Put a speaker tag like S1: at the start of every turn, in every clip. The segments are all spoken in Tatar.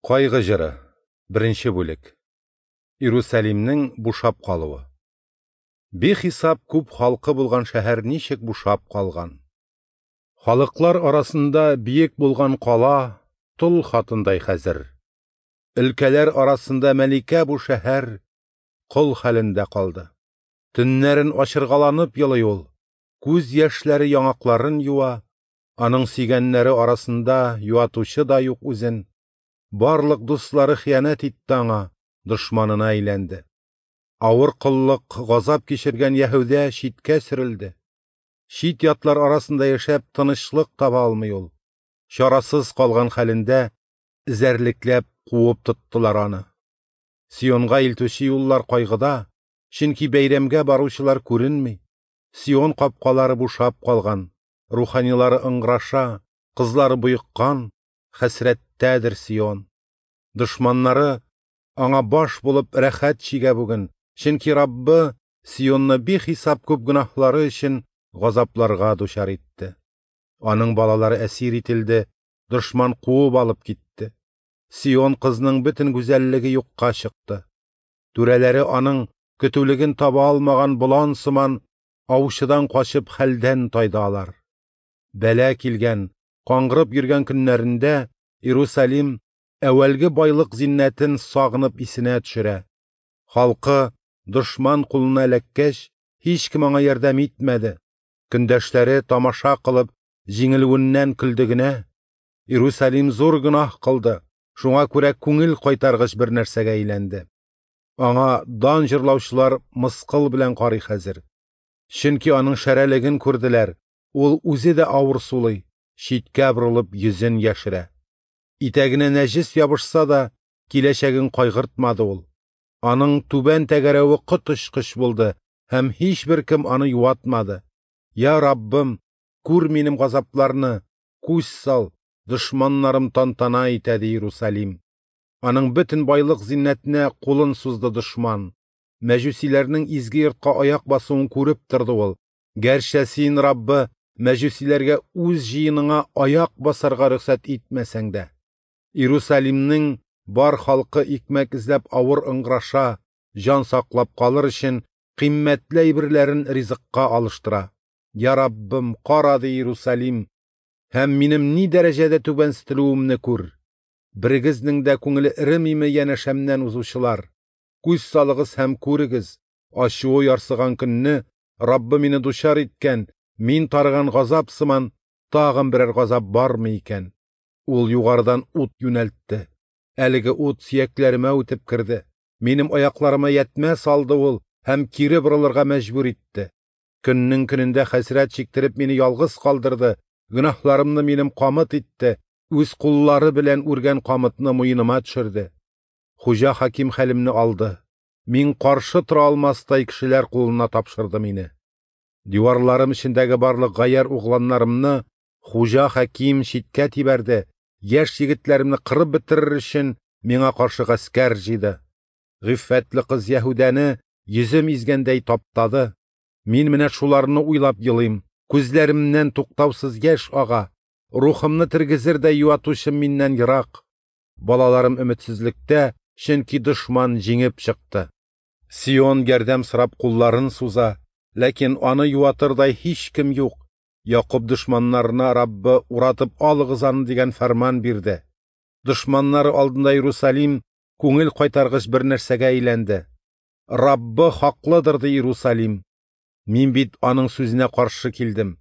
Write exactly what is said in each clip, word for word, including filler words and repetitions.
S1: Кайгы җыры, беренче бүлек. Иерусалимнең бушап калуы. Бихисап күп халкы булган шәһәр ничек бушап калган. Халыклар арасында биек булган кала тол хатындай хәзер. Өлкәләр арасында мәликә бу шәһәр кол хәлендә калды. Төннәрен ачыргаланып елый ул, күз яшьләре яңакларын юа, аның сөйгәннәре арасында юатучы да юк үзен. Барлык дуслары хыянәт итте аңа, дошманына әйләнде. Авыр коллык, газап кичергән Яһүдә читкә сөрелде. Чит ятлар арасында яшәп тынычлык таба алмый ул. Чарасыз калган хәлендә эзәрлекләп куып тоттылар аны. Сионга илтүче юллар кайгыда, чөнки бәйрәмгә баручылар күренми. Сион капкалары бушап калган, руханилары ыңгыраша, кызлары боеккан, хәсрәттәдер Сион. Дошманнары аңа баш булып рәхәт чигә бүген, чөнки Раббы Сионны бихисап күп гөнаһлары өчен газапларга дучар итте. Аның балалары әсир ителде, дошман куып алып китте. Сион кызның бөтен гүзәллеге юкка чыкты. Түрәләре аның көтүлеген таба алмаган болан сыман аучыдан качып хәлдән тайды алар. Бәла килгән, каңгырып йөргән көннәрендә Иерусалим әүвәлге байлык зиннәтен сагынып исенә төшерә. Халкы дошман кулына эләккәч, һичкем аңа ярдәм итмәде. Көндәшләре тамаша кылып, җиңелүеннән көлде генә. Иерусалим зур гөнаһ кылды, шуңа күрә күңел кайтаргыч бер нәрсәгә әйләнде. Аңа дан җырлаучылар мыскыл белән карый хәзер. Чөнки аның шәрәлеген күрделәр, ул үзе дә авыр сулый, читкә борылып йөзен яшерә. Итәгенә нәҗес ябышса да, киләчәген кайгыртмады ул. Аның түбән тәгәрәве коточкыч булды һәм һичбер кем аны юатмады. Я Раббым, күр минем газапларны, күз сал, дошманнарым тантана итә, ди Иерусалим. Аның бөтен байлык зиннәтенә кулын сузды дошман. Мәҗүсиләрнең изге йортка аяк басуын күреп торды ул. Гәрчә син, Раббы, мәҗүсиләргә үз җыеныңа аяк басарга рөхсәт итмәсәң дә. Иерусалимнең бар халкы икмәк эзләп авыр ыңгыраша, җан саклап калыр өчен кыйммәтле әйберләрен ризыкка алыштыра. Я Раббым, кара, ди Иерусалим, һәм минем ни дәрәҗәдә түбәнсетелүемне күр. Берегезнең дә күңеле эремиме янәшәмнән узучылар? Күз салыгыз һәм күрегез, ачуы ярсыган көнне Раббы мине дучар иткән, мин тарыган газап сыман тагын берәр газап бармы икән? Ул югарыдан ут юнәлтте. Әлеге ут сөякләремә үтеп керде. Минем аякларыма ятмә салды ул һәм кире борылырга мәҗбүр итте. Көннең көнендә хәсрәт чиктереп мине ялгыз калдырды, гөнаһларымны минем камыт итте, үз куллары белән үргән камытны муеныма төшерде. Хуҗа хаким хәлемне алды. Мин каршы тора алмастай кешеләр кулына тапшырды мине. Диварларым эчендәге барлык гаяр угланнарымны хуҗа хаким читкә тибәрде, яшь егетләремне кырып бетерер өчен миңа каршы гаскәр җыйды. Гыйффәтле кыз Яһүдәне йөзем изгәндәй таптады. Мин менә шуларны уйлап елыйм, күзләремнән туктаусыз яшь ага, рухымны тергезердәй юатучым миннән ерак. Балаларым өметсезлектә, чөнки дошман җиңеп чыкты. Сион ярдәм сорап кулларын суза, ләкин аны юатырдай һичкем юк. Якуб дошманнарына Раббы уратып алыгыз аны дигән фәрман бирде. Дошманнары алдында Иерусалим күңел кайтаргыч бер нәрсәгә әйләнде. Раббы хаклыдыр, ди Иерусалим. Мин бит аның сүзенә каршы килдем.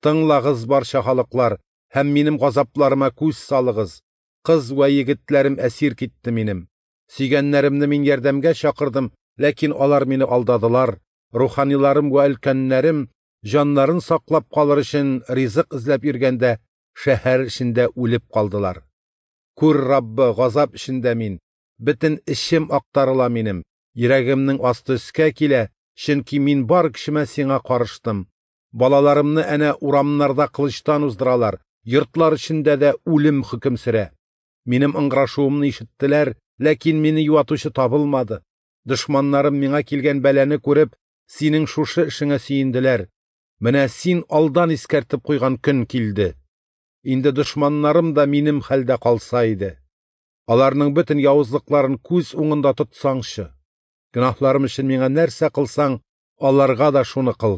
S1: Тыңлагыз, барча халыклар, һәм минем газапларыма күз салыгыз. Кыз вә егетләрем әсир китте минем. Сөйгәннәремне мин ярдәмгә чакырдым, ләкин алар мине алдадылар. Руханиларым вә өлкәннәрем җаннарын саклап калыр өчен ризык эзләп йөргәндә шәһәр эчендә үлеп калдылар. Күр, Раббы, газап эчендә мин. Бөтен эчем актарыла минем. Йөрәгемнең асты өскә килә, чөнки мин бар кешемә сиңа карыштым. Балаларымны әнә урамнарда кылычтан уздыралар, йортлар эчендә дә үлем хөкем сөрә. Минем ыңгырашуымны ишеттеләр, ләкин мине юатучы табылмады. Дошманнарым миңа килгән бәлане күреп, синең шушы эшеңә сөенделәр. Менә син алдан искәртеп куйган көн килде. Инде дошманнарым да минем хәлдә калса иде. Аларның бөтен явызлыкларын күз уңында тотсаңчы! Гөнаһларым өчен миңа нәрсә кылсаң, аларга да шуны кыл.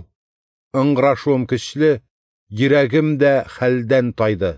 S1: Ыңгырашуым көчле, йөрәгем дә хәлдән тайды.